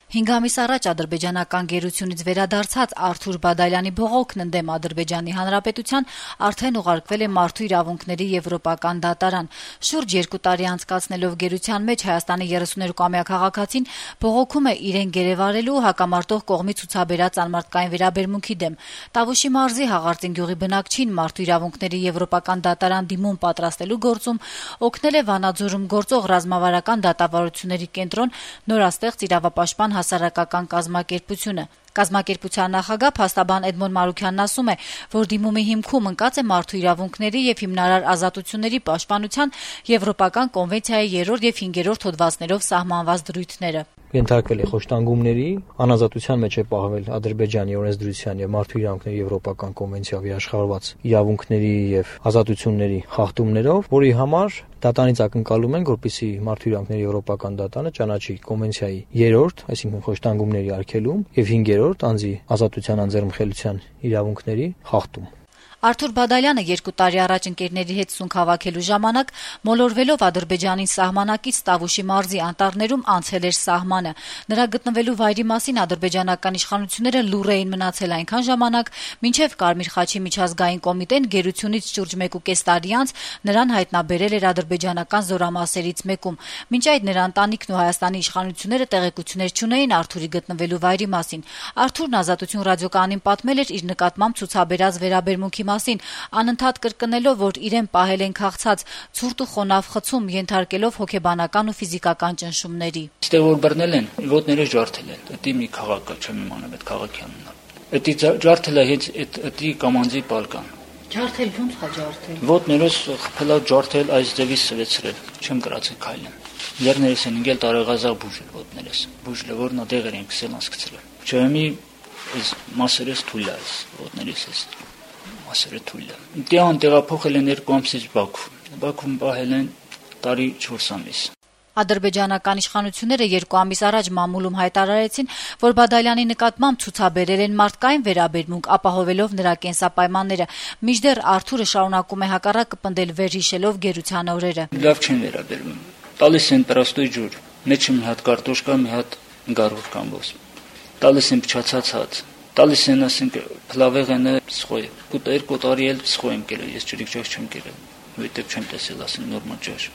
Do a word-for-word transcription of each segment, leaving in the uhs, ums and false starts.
Հինգ ամիս առաջ ադրբեջանական գերությունից վերադարձած Արթուր Բադալյանի բողոքն ընդդեմ Ադրբեջանի Հանրապետության արդեն ուղարկվել է Մարդու իրավունքների եվրոպական դատարան։ Շուրջ երկու տարի անցկացնելով գերության մեջ Հայաստանի երեսուներկուամյա քաղաքացին բողոքում է իրեն գերեվարելու հակամարտող կողմի ցուցաբերած անմարդկային վերաբերմունքի դեմ։ Տավուշի մարզի Հաղարծին գյուղի բնակչին Մարդու իրավունքների եվրոպական դատարան դիմում պատրաստելու գործում օգնել է Վանաձորում գործող ռազմավարական դատավարությունների կենտրոն նորաստեղծ իրավապաշտպան հասարակական կազմակերպությունը։ Կազմակերպության նախագահ փաստաբան Էդմոն Մարուքյանն ասում է, որ դիմումի հիմքում ընկած է մարդու իրավունքների եւ հիմնարար ազատությունների պաշտպանության Եվրոպական կոնվենցիայի երրորդ եւ հինգերորդ հոդվածներով սահմանված դրույթները։ Ենթարկվել է խոշտանգումների, անազատության մեջ է պահվել Ադրբեջանի օրենսդրության եւ մարդու իրավունքների եվրոպական կոնվենցիայով երաշխավորված իրավունքների եւ ազատությունների խախտումներով, որի համար դատարանից ակնկալում են, որպեսզի մարդու իրավունքների եվրոպական դատարանը ճանաչի կոնվենցիայի երրորդ, այսինքն խոշտանգումների արգելում եւ հինգերորդ անձի ազատության անձեռնմխելիության իրավունքների խախտում։ Արթուր Բադալյանը երկու տարի առաջ ընկերների հետ սունկ հավաքելու ժամանակ մոլորվելով Ադրբեջանին սահմանակից Տավուշի մարզի անտառներում անցել էր սահմանը։ Նրա գտնվելու վայրի մասին ադրբեջանական իշխանությունները լուռ էին մնացել այնքան ժամանակ, մինչև Կարմիր խաչի միջազգային կոմիտեն գերությունից շուրջ մեկ ու կես տարի անց նրան հայտնաբերել էր ադրբեջանական զորամասերից մեկում։ Մինչ այդ նրա ընտանիքն ու Հայաստանի իշխանությունները տեղեկություններ չունեին Արթուրի գտնվելու վայրի մասին։ Արթուրն Ազատություն ռադիոկայանին պատմել էր իր նկատմամբ ցուցաբերած վերաբերմունքի մասին, անընդհատ կրկնելով, որ իրեն պահել են քաղցած, ցուրտ ու խոնավ խցում, ենթարկելով հոգեբանական ու ֆիզիկական ճնշումների։ Ստեղ որ բռնել են, ոտները ջարդել են։ Դա մի քաղաք է, չեմ իմանում այդ քաղաքի անունը։ Դա ջարդել է հենց այդ դա կամանձի պալկան։ Ջարդել ո՞նց է ջարդել։ Ոտներս խփելա ջարդել, այս ձևի սվեցրել։ Չեմ գրացել քայլեմ։ Երներս են ինգել տարեգազաղ բուժել ոտներս։ Բուժել որն դեղեր են քսել ասկցել։ Չեմի այս մասերս թույլ է, ոտներս էս մասերը թույլ է։ Դիան տեղափոխել են երկու ամսից Բաքու։ Բաքվում պահել են տարի չորս ամիս։ Ադրբեջանական իշխանությունները երկու ամիս առաջ մամուլում հայտարարեցին, որ Բադալյանի նկատմամբ ցուցաբերել են մարդկային վերաբերմունք, ապահովելով նրա կենսապայմանները, մինչդեռ Արթուրը շարունակում է հակառակը պնդել վերհիշելով գերության օրերը։ Լավ չեն վերաբերվում։ Տալիս են պրաստոյ ջուր, մեջը մի հատ կարտոշկա, մի հատ գարուր կամբոս։ Տալիս են փչացած հաց։ Տալիս են ասենք փլավեղենը սխոյ։ Կուտ երկու տարի էլ սխոյ եմ կերել, ես ջրիկ ջաշ չեմ կերել։ Որտեւ չեմ տեսել ասենք նորմալ ջաշ։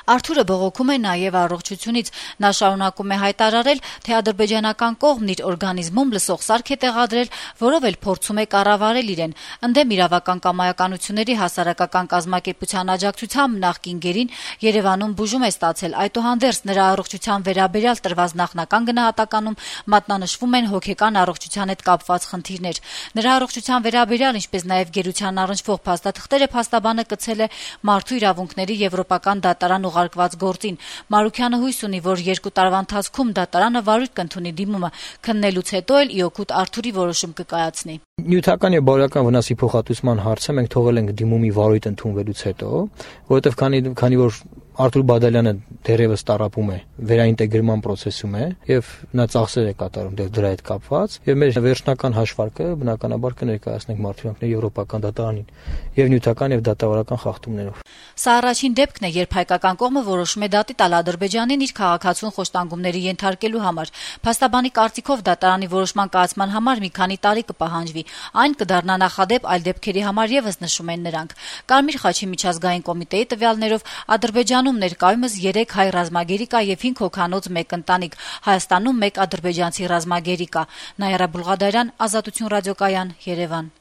Արթուրը բողոքում է նաև առողջությունից։ Նա շարունակում է հայտարարել, թե ադրբեջանական կողմն իր օրգանիզմում լսող սարք է տեղադրել, որով էլ փորձում է կառավարել իրեն։ Ընդդեմ իրավական կամայականությունների հասարակական կազմակերպության աջակցությամբ նախկին գերին Երևանում բուժում է ստացել։ Այդուհանդերձ նրա առողջության վերաբերյալ տրված նախնական գնահատականում մատնանշվում են հոգեկան առողջության հետ կապված խնդիրներ։ Նրա առողջության վերաբերյալ, ինչպես նաև գերության առնչվող փաստաթղթերը փաստաբանը կցել է Մարդու իրավունքների եվրոպական դատարան ուղարկված գործին։ Մարուքյանը հույս ունի, որ երկու տարվա ընթացքում դատարանը վարույթ կընդունի դիմումը, քննելուց հետո էլ ի օգուտ Արթուրի որոշում կկայացնի։ Նյութական եւ բարոյական վնասի փոխհատուցման հարցը մենք թողել ենք դիմումի վարույթ ընդունվելուց հետո, որովհետեւ քանի քանի որ Արթուր Բադալյանը դերևս տարապում է, վերաինտեգրման process-ում է եւ նա ծախսեր է կատարում դրա հետ կապված եւ մեր վերջնական հաշվարկը բնականաբար կներկայացնենք Մարդու իրավունքների եվրոպական դատարանին եւ նյութական եւ դատավարական խախտումներով։ Սա առաջին դեպքն է, երբ հայկական կողմը որոշում է դատի տալ Ադրբեջանին իր քաղաքացուն խոշտանգումների ենթարկելու համար։ Փաստաբանի կարծիքով դատարանի որոշման կայացման համար մի քանի տարի կպահանջվի։ Այն կդառնա նախադեպ այլ դեպքերի համար եւս նշում են նրանք։ Կարմիր խաչի միջազգային կոմիտեի տվյալներով Ադրբեջանում ներկայումս երեք հայ ռազմագերի կա եւ հինգ հոգանոց մեկ ընտանիք, Հայաստանում մեկ ադրբեջանցի ռազմագերի կա։ Նաիրա Բուլղադարյան, Ազատություն ռադիոկայան, Երևան։